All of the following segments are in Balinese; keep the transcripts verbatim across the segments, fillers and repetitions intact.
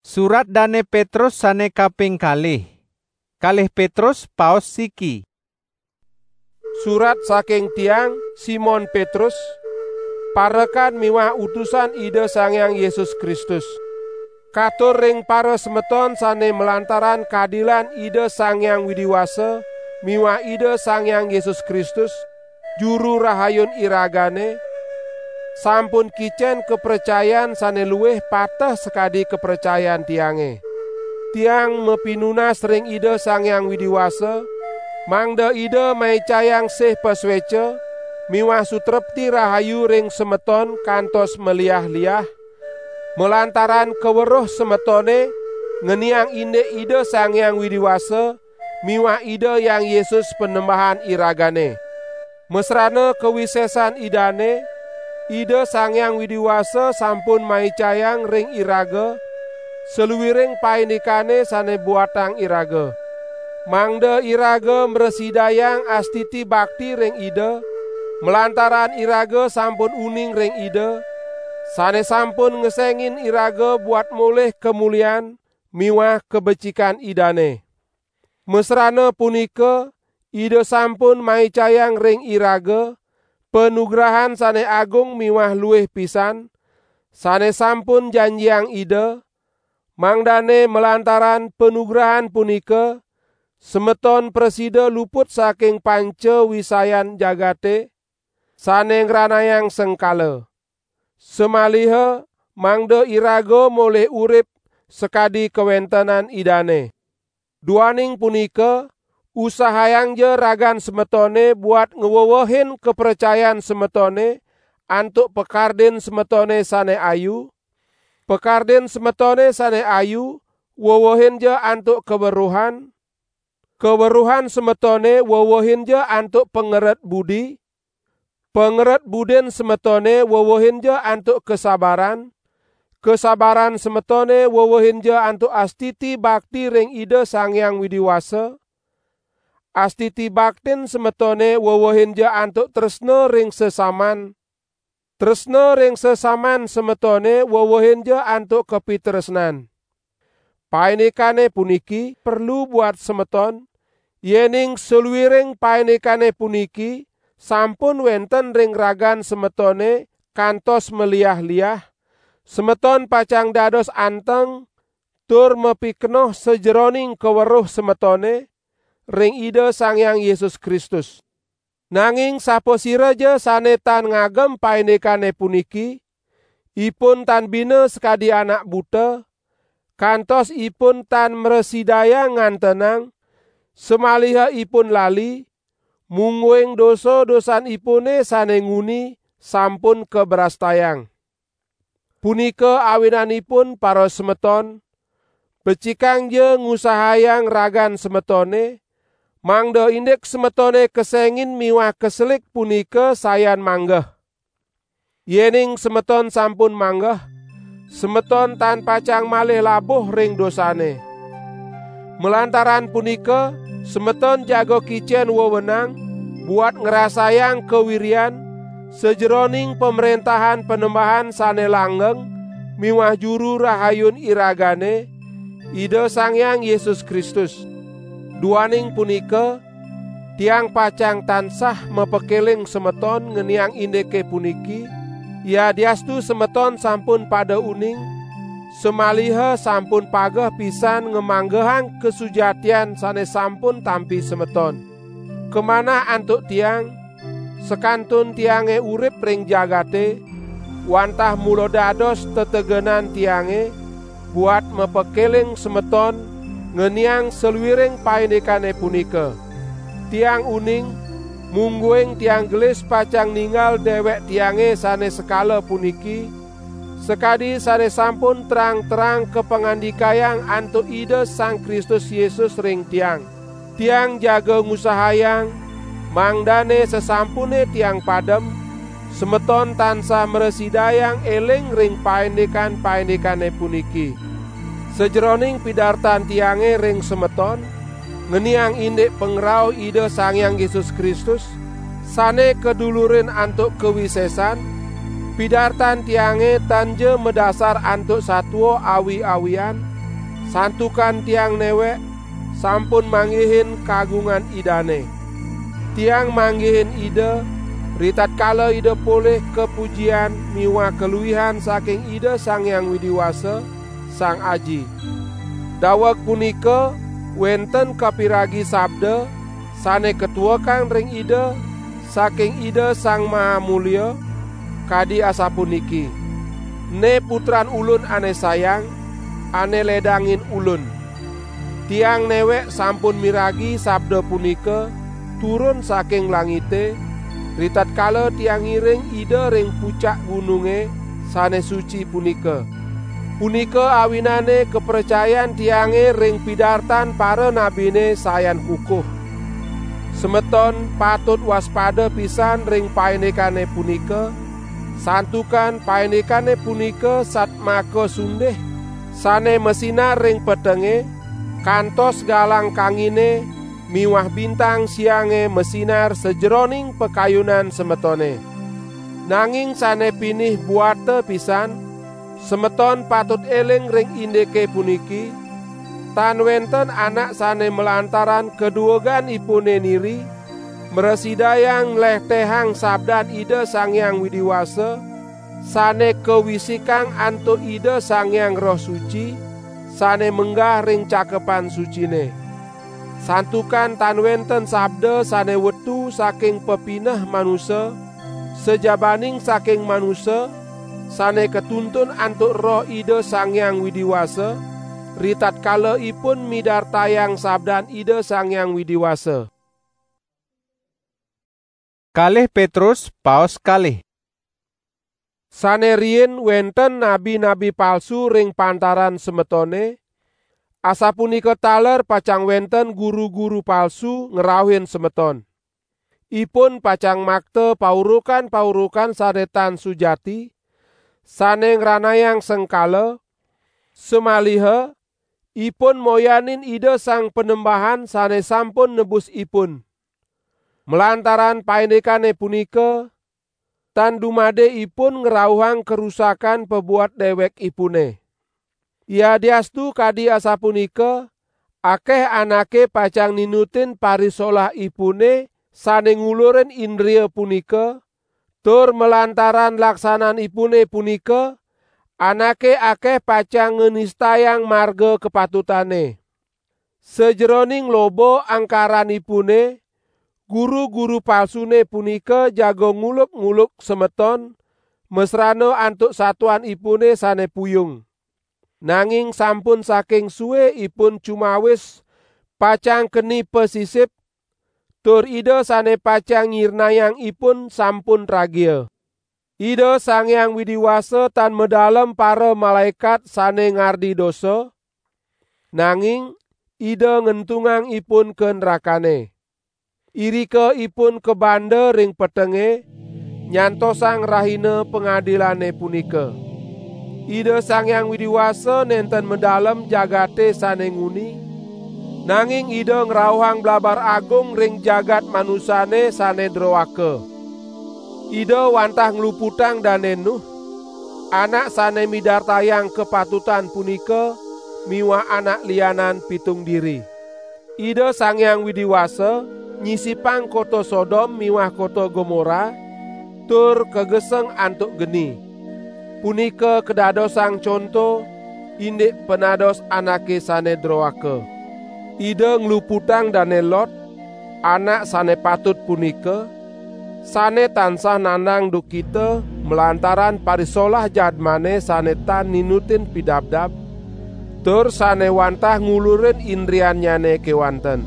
Surat Dane Petrus sane kaping kalih. Kalih Petrus paos siki. Surat saking tiang, Simon Petrus, parekan miwah utusan Ida Sang Hyang Yesus Kristus. Katur ring para semeton sane malantaran kadilan Ida Sang Hyang Widi Wasa miwah Ida Sang Hyang Yesus Kristus, Juru Rahayun iragane, sampun kicen kapracayan sane luwih pateh sakadi kapracayan tiange. Tiang mapinunas ring Ida Sang Hyang Widi Wasa, mangda Ida maicayang sih pasweca miwah sutrepti rahayu ring semeton kantos maliah-liah, malantaran kaweruh semetone ngeniang indik Ida Sang Hyang Widi Wasa miwah Ida Hyang Yesus Panembahan iragane. Masrana kawisesan Idane, Ida Sang Hyang Widi Wasa sampun maicayang ring iraga saluiring paindikane sane buatang iraga, mangda iraga mrasidayang astiti bakti ring Ida, malantaran iraga sampun uning ring Ida, sane sampun ngesengin iraga buat molih kamulian miwah kabecikan Idane. Masrana punika, Ida sampun maicayang ring iraga panugrahan sane agung miwah luih pisan, sane sampun janjiang Ida, mangdane malantaran panugrahan punika, semeton prasida luput saking panca wisayan jagate, sane ngranayang sengkala. Samaliha mangda iraga molih urip sakadi kawentenan Idane. Duaning punika, usahayangja ragan semetone buat ngwewehin kapracayan semetone antuk pakardin semetone sane ayu, pakardin semetone sane ayu wewehinja antuk kaweruhan, kaweruhan semetone wewehinja antuk pangeret budi, pangeret budin semetone wewehinja antuk kasabaran, kasabaran semetone wewehinja antuk astiti bakti ring Ida Sang Hyang Widi Wasa, astiti baktin semetone wewehinja antuk tresna ring sesaman, tresna ring sesaman semetone wewehinja antuk kapitresnan. Paindikane puniki perlu buat semeton, yening saluiring paindikane puniki sampun wenten ring ragan semetone kantos maliah-liah, semeton pacang dados anteng tur mapikenoh sajeroning kaweruh semetone ring Ida Sang Hyang Yesus Kristus. Nanging sapasiraja sane tan ngagem paindikane puniki, ipun tan bina sakadi anak buta, kantos ipun tan mrasidayang ngantenang, samaliha ipun lali, mungguing dosa-dosanipune sane nguni sampun kabrastayang. Punika awinanipun, parasemeton, becikangja ngusahayang ragan semetone, mangda indik semetone kesengin miwah kaselik punika sayan manggeh. Yening semeton sampun manggeh, semeton tan pacang malih labuh ring dosane. Malantaran punika, semeton jaga kicen wewenang buat ngrasayang kawiryan sajeroning Pamrentahan Panembahan sane langgeng miwah Juru Rahayun iragane, Ida Sang Hyang Yesus Kristus. Duaning punika, tiang pacang tansah mapakeling semeton ngeniang indike puniki, yadiastu semeton sampun pada uning, samaliha sampun pageh pisan ngamanggehang kasujatian sane sampun tampi semeton. Kamanah antuk tiang, sakantun tiange urip ring jagate, wantah mula dados tetegenan tiange buat mapakeling semeton ngeniang saluiring paindikane punika. Tiang uning, mungguing tiang gelis pacang ninggal dewek tiange sane sekala puniki, sakadi sane sampun terang-terang kapangandikayang antuk Ida Sang Kristus Yesus ring tiang. Tiang jaga ngusahayang, mangdane sasampune tiang padem, semeton tansah mrasidayang eling ring paindikan-paindikane puniki. Sajeroning pidartan tiange ring semeton, ngeniang indik pangrauh Ida Sang Hyang Yesus Kristus, sane kadulurin antuk kawisesan, pidartan tiange tanja madasar antuk satua awi-awian, Santukan tiang newek sampun manggihin kagungan Idane. Tiang manggihin Ida, ritatkala Ida polih kapujian miwah kaluihan saking Ida Sang Hyang Widi Wasa, Sang Aji. Daweg punika wenten kapiragi sabda sane katuekang ring Ida saking Ida Sang Maha Mulia, kadi asapuniki: "Ne Putran Ulun ane sayang, ane ledangin Ulun." Tiang newek sampun miragi sabda punika turun saking langite, ritatkala tiang ngiring Ida ring pucak gununge sane suci punika. Punika awinane kapracayan tiange ring pidartan paranabine sayan kukuh. Semeton patut waspada pisan ring paindikane punika, santukan paindikane punika satmaka sundih, sane masinar ring petenge, kantos galang kangine miwah bintang siange masinar sajeroning pakayunan semetone. Nanging sane pinih buata pisan, semeton patut eling ring indike puniki: tan wenten anak sane malantaran kadueganipune niri, mrasidayang nlehtehang sabdan Ida Sang Hyang Widi Wasa, sane kawisikang antuk Ida Sang Hyang Roh Suci, sane menggah ring Cakepan Sucine. Santukan tan wenten sabda sane wetu saking pepineh manusa, sajabaning saking manusa, sane katuntun antuk Roh Ida Sang Hyang Widi Wasa, ritatkala ipun midartayang sabdan Ida Sang Hyang Widi Wasa. Kalih Petrus, paos kalih. Sane riin wenten nabi-nabi palsu ring pantaran semetone, asapunika taler pacang wenten guru-guru palsu ngrauhin semeton. Ipun pacang makta paurukan-paurukan sane tan sujati, sane ngranayang sengkala, samaliha ipun moyanin Ida Sang Panembahan sane sampun nebus ipun. Malantaran paindikane punika, tan dumade ipun ngrauhang karusakan pabuat dewekipune. Yadiastu kadi asapunika, akeh anake pacang ninutin parisolahipune sane ngulurin indria punika, tur malantaran laksananipune punika, anake akeh pacang nganistayang marga kapatutane. Sajeroning loba angkaranipune, guru-guru palsune punika jaga nguluk-nguluk semeton, masrana antuk satuanipune sane puyung. Nanging sampun saking sueipun cumawis pacang keni pasisip, tur Ida sane pacang nyirnayang ipun sampun tragia. Ida Sang Hyang Widi Wasa tan madalem para malaekat sane ngardi dosa, nanging Ida ngentungang ipun ka nrakane. Irika ipun kabanda ring petenge, nyantosang rahina pangadilane punika. Ida Sang Hyang Widi Wasa nenten madalem jagate sane nguni, nanging Ida ngrauhang blabar agung ring jagat manusane sane droaka. Ida wantah ngluputang Dane Nuh, anak sane midartayang kapatutan punika miwah anak lianan pitung diri. Ida Sang Hyang Widi Wasa nyisipang kota Sodom miwah kota Gomora, tur kageseng antuk geni. Punika kadadosang conto indik panados anake sane droaka. Ida ngluputang Dane Lot, anak sane patut punika, sane tansah nandang duhkita malantaran parisolah jadmane sane tan ninutin pidabdab, tur sane wantah ngulurin indriannyane kewanten.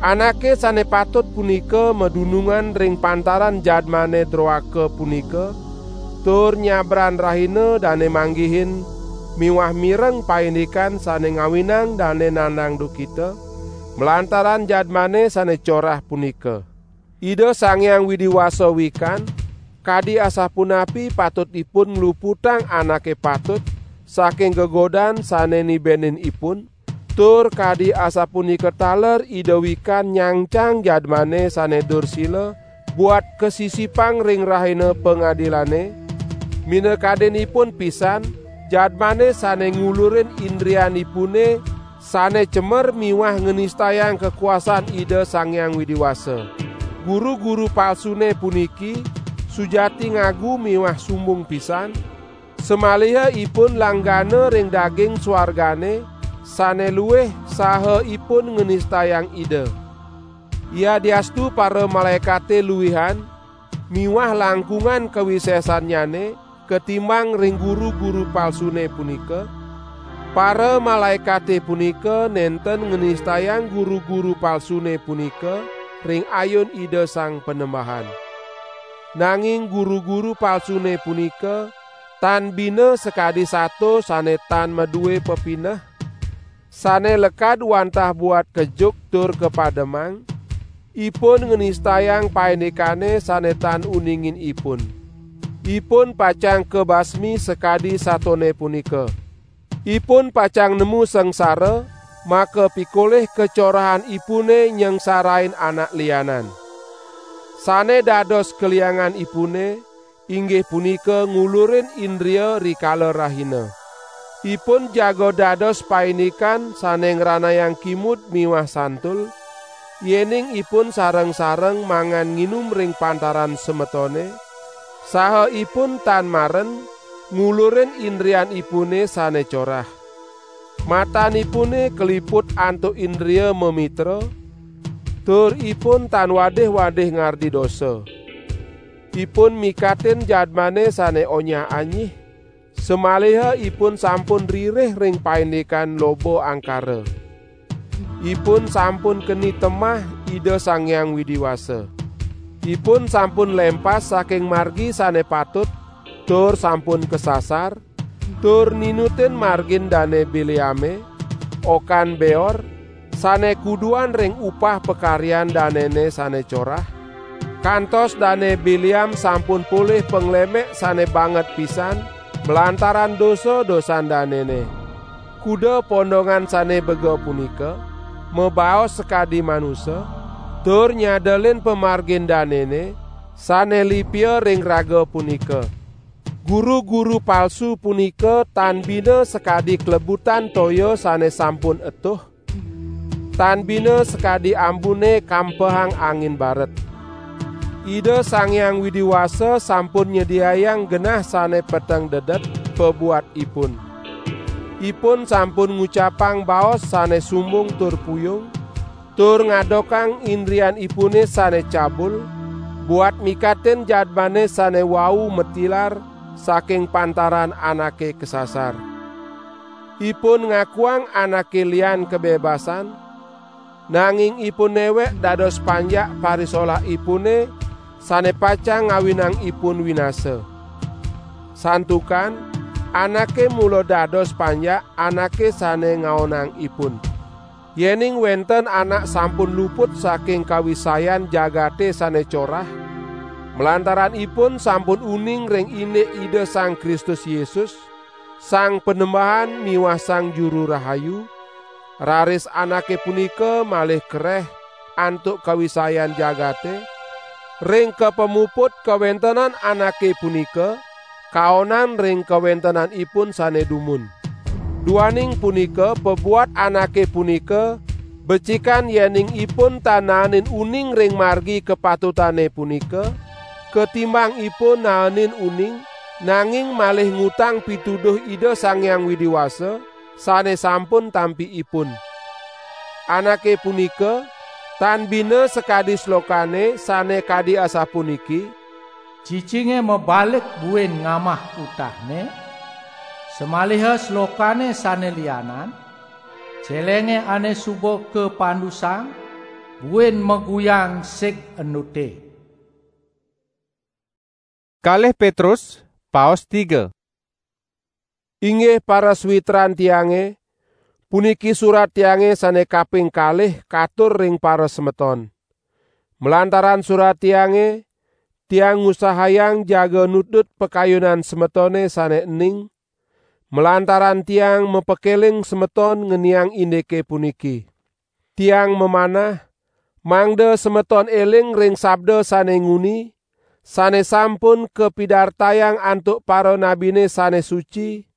Anake sane patut punika madunungan ring pantaran jadmane droaka punika, tur nyabran rahina dane manggihin miwah mireng paindikan sane ngawinang dane nandang duhkita, malantaran jadmane sane corah punika. Ida Sang Hyang Widi Wasa wikan, kadi asapunapi patut ipun ngluputang anake patut saking gegodan sane nibenin ipun, tur kadi asapunika taler Ida wikan nyangcang jadmane sane dursila buat kasisipang ring rahina pangadilane, minakadinipun pisan jadmane sane ngulurin indrianipune sane cemer miwah ngenistayang kakuasan Ida Sang Hyang Widi Wasa. Guru-guru palsune puniki sujati ngagu miwah sumbung pisan, samaliha ipun langgana ring daging swargane sane luih saha ipun ngenistayang Ida. Yadiastu para malaekate luihan miwah langkungan kawisesannyane katimbang ring guru-guru palsune punika, para malaekate punika nenten ngenistayang guru-guru palsune punika ring ayun Ida Sang Panembahan. Nanging guru-guru palsune punika tan bina sakadi sato sane tan madue pepineh, sane lekad wantah buat kejuk tur kapademang, ipun ngenistayang paindikane sane tan uningin ipun. Ipun pacang kabasmi sakadi satone punika. Ipun pacang nemu sangsara, maka pikolih kacorahanipune nyengsarain anak lianan. Sane dados kalianganipune, inggih punika ngulurin indria rikala rahina. Ipun jaga dados paindikan sane ngranayang kimud miwah santul, yening ipun sareng-sareng mangan nginum ring pantaran semetone, saha ipun tan maren ngulurin indrianipune sane corah. Matanipune kaliput antuk indria mamitra, tur ipun tan wadih-wadih ngardi dosa. Ipun mikatin jadmane sane onyah-anyih, samaliha ipun sampun ririh ring paindikan loba angkara. Ipun sampun keni temah Ida Sang Hyang Widi Wasa. Ipun sampun lempas saking margi sane patut, tur sampun kasasar, tur ninutin margin Dane Bileame, okan Beor, sane kuduan ring upah pakaryan danene sane corah, kantos Dane Bileam sampun polih panglemek sane banget pisan malantaran dosa-dosan danene. Kuda pondongan sane bega punika mabaos sakadi manusa, tur nyadelin pamargin danene sane lipia ring raga punika. Guru-guru palsu punika tan bina sakadi klebutan toya sane sampun etuh, tan bina sakadi ambune kampehang angin baret. Ida Sang Hyang Widi Wasa sampun nyediayang genah sane peteng dedet pabuat ipun. Ipun sampun ngucapang baos sane sumbung tur puyung, tur ngadokang indrianipune sane cabul, buat mikatin jadmane sane wau matilar saking pantaran anake kasasar. Ipun ngakuang anake lian kabebasan, nanging ipun newek dados panjak parisolahipune sane pacang ngawinang ipun winasa. Santukan anake mula dados panjak anake sane ngaonang ipun. Yening wenten anak sampun luput saking kawisayan jagate sane corah, malantaran ipun sampun uning ring indik Ida Sang Kristus Yesus, Sang Panembahan miwah Sang Juru Rahayu, raris anake punika malih kereh antuk kawisayan jagate, ring kapamuput kawentenan anake punika, kaonan ring kawentenanipun sane dumun. Duaning punika pabuat anake punika becikan yening ipun tan naenin uning ring margi kapatutane punika, katimbang ipun naenin uning, nanging malih ngutang pituduh Ida Sang Hyang Widi Wasa, sane sampun tampi ipun. Anake punika tan bina sakadi slokane sane kadi asapuniki, "Cicinge mabalik buin ngamah utahne, samaliha slokane sane lianan, celenge ane suba kapandusang, buin maguyang sig endute." Kalih Petrus, paos tiga. Inggih parasawitran tiange, puniki surat tiange sane kaping kalih katur ring parasemeton. Malantaran surat tiange, tiang ngusahayang jaga nutdut pakayunan semetone sane ening, malantaran tiang mapakeling semeton ngeniang indike puniki. Tiang mamanah, mangda semeton eling ring sabda sane nguni, sane sampun kapidartayang antuk paranabine sane suci,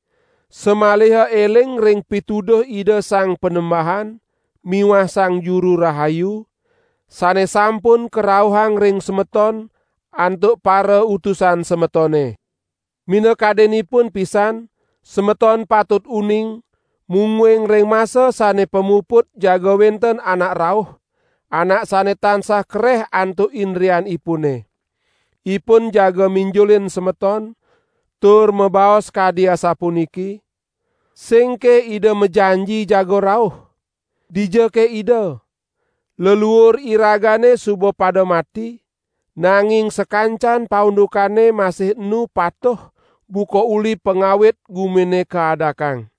Samaliha eling ring pituduh Ida Sang Panembahan miwah Sang Juru Rahayu, sane sampun karauhang ring semeton antuk para utusan semetone. Minakadinipun pisan, semeton patut uning, mungguing ring masa sane pamuput jaga wenten anak rauh, anak sane tansah kereh antuk indrianipune. Ipun jaga minjulin semeton, tur mabaos kadi asapuniki: "Singke Ida majanji jaga rauh? Dijake Ida? Leluur iragane suba pada mati, nanging sakancan paundukane masih enu patuh buka uli pangawit gumine kaadakang."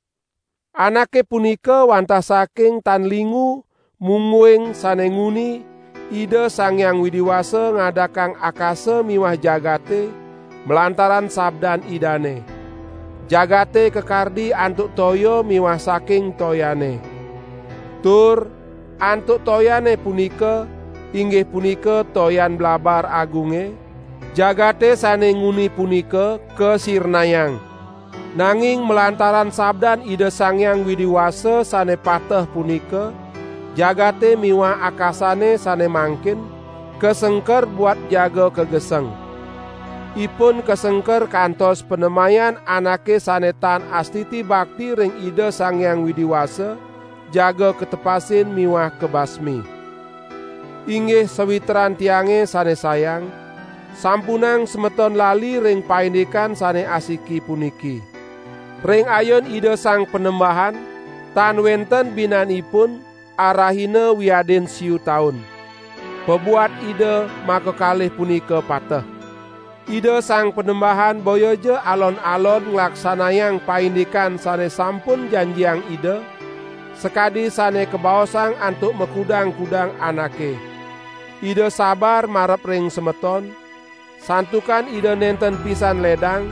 Anake punika wantah saking tan lingu mungguing sane nguni Ida Sang Hyang Widi Wasa ngadakang akasa miwah jagate malantaran sabdan Idane. Jagate kakardi antuk toya miwah saking toyane. Tur antuk toyane punika, inggih punika toyan blabar agunge, jagate sane nguni punika kasirnayang. Nanging malantaran sabdan Ida Sang Hyang Widi Wasa sane pateh punika, jagate miwah akasane sane mangkin kasengker buat jaga kageseng. Ipun kasengker kantos panemayan anake sane tan astiti bakti ring Ida Sang Hyang Widi Wasa, jaga katepasin miwah kabasmi. Inggih sawitran tiange sane sayang, sampunang semeton lali ring paindikan sane asiki puniki. Ring ayun Ida Sang Panembahan, tan wenten binanipun arahina wiadin siu taun. Pabuat Ida makakalih punika pateh. Ida Sang Panembahan boyaja alon-alon nglaksanayang paindikan sane sampun janjiang Ida, sakadi sane kabaosang antuk makudang-kudang anake. Ida sabar marep ring semeton, santukan Ida nenten pisan ledang,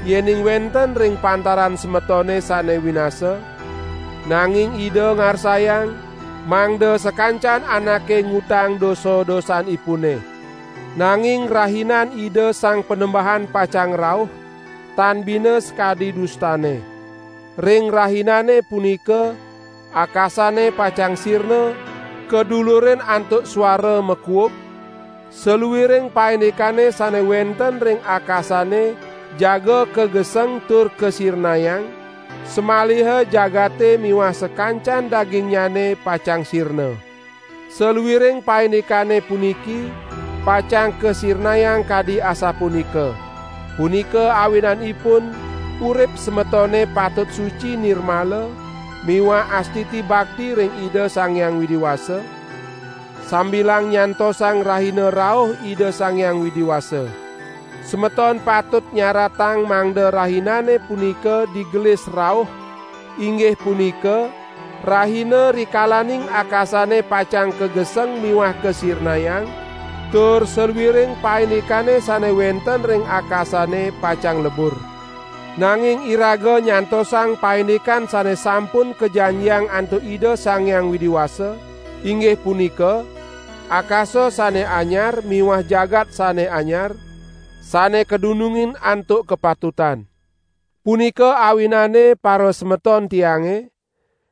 yening wenten ring pantaran semetone sane winasa, nanging Ida ngarsayang, mangda sakancan anake ngutang dosa-dosanipune. Nanging rahinan Ida Sang Panembahan pacang rauh, tan bina sakadi dustane. Ring rahinane punika, akasane pacang sirna, kadulurin antuk suara makuub, saluiring paindikane sane wenten ring akasane jaga kageseng tur kasirnayang, samaliha jagate miwah sakancan dagingnyane pacang sirna. Saluiring paindikane puniki pacang kasirnayang kadi asapunika. Punika awinanipun, urip semetone patut suci nirmala miwah astiti bakti ring Ida Sang Hyang Widi Wasa, sambilang nyantosang rahina rauh Ida Sang Hyang Widi Wasa. Semeton patut nyaratang mangda rahinane punika digelis rauh, inggih punika, rahina rikalaning akasane pacang kageseng miwah kasirnayang, tur saluiring paindikane sane wenten ring akasane pacang lebur. Nanging iraga nyantosang paindikan sane sampun kajanjiang antuk Ida Sang Hyang Widi Wasa, inggih punika, akasa sane anyar miwah jagat sane anyar, sane kadunungin antuk kapatutan. Punika awinane, parasemeton tiange,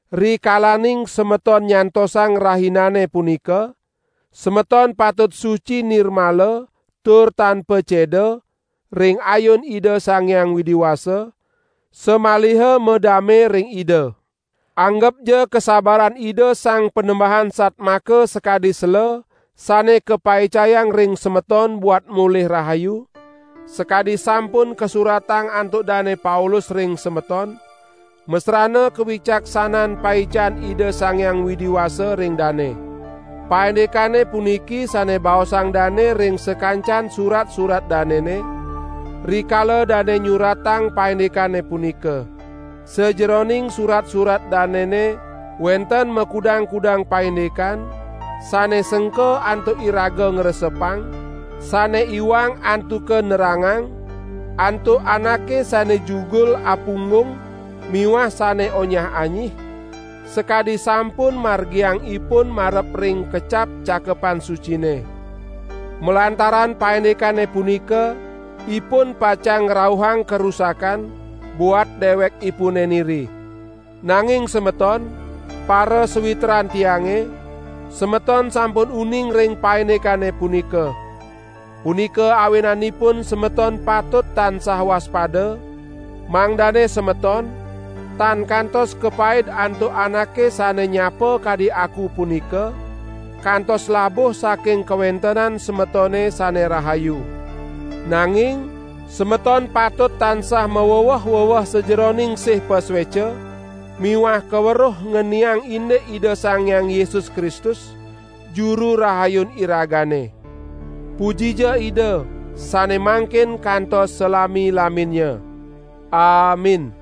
rikalaning semeton nyantosang rahinane punika, semeton patut suci nirmala tur tanpa ceda ring ayun Ida Sang Hyang Widi Wasa, samaliha madame ring Ida. Anggepja kasabaran Ida Sang Panembahan satmaka sakadi sela sane kapaicayang ring semeton buat molih rahayu, sakadi sampun kasuratang antuk Dane Paulus ring semeton, masrana kawicaksanan paican Ida Sang Hyang Widi Wasa ring dane. Paindikane puniki sane baosang dane ring sakancan surat-surat danene, rikala dane nyuratang paindikane punika. Sajeroning surat-surat danene wenten makudang-kudang paindikan, sane sengka antuk iraga ngresepang, sane iwang antuka nerangang, antuk anake sane jugul apunggung miwah sane onyah-anyih, sakadi sampun margiang ipun marep ring kecap Cakepan Sucine. Malantaran paindikane punika, ipun pacang ngrauhang karusakan, buat dewek ipune niri. Nanging semeton, para sawitran tiange, semeton sampun uning ring paindikane punika. Punika awinanipun semeton patut tansah waspada, mangdane semeton tan kantos kapaid antuk anake sane nyapa kadi aku punika, kantos labuh saking kawentenan semetone sane rahayu. Nanging semeton patut tansah maweweh-weweh sajeroning sih pasueca miwah kaweruh ngeniang indik Ida Sang Hyang Yesus Kristus, Juru Rahayun iragane. Pujija Ida, sane mangkin kantos salami-laminnya. Amin.